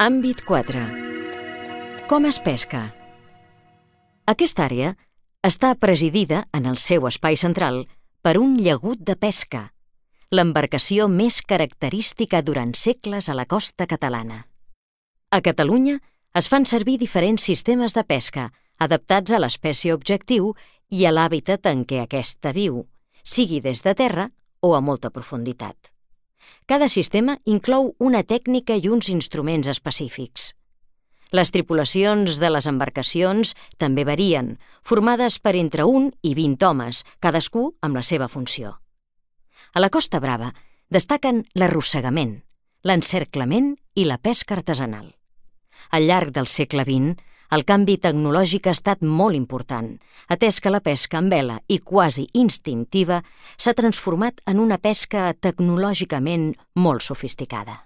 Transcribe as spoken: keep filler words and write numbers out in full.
Àmbit quatre. Com es pesca? Aquesta àrea està presidida en el seu espai central per un llagut de pesca, l'embarcació més característica durant segles a la costa catalana. A Catalunya es fan servir diferents sistemes de pesca adaptats a l'espècie objectiu i a l'hàbitat en què aquesta viu, sigui des de terra o a molta profunditat. Cada sistema inclou una tècnica i uns instruments específics. Les tripulacions de les embarcacions també varien, formades per entre un i vint homes, cadascú amb la seva funció. A la Costa Brava destaquen l'arrossegament, l'encerclament i la pesca artesanal. Al llarg del segle vint, el canvi tecnològic ha estat molt important, atès que la pesca amb vela i quasi instintiva s'ha transformat en una pesca tecnològicament molt sofisticada.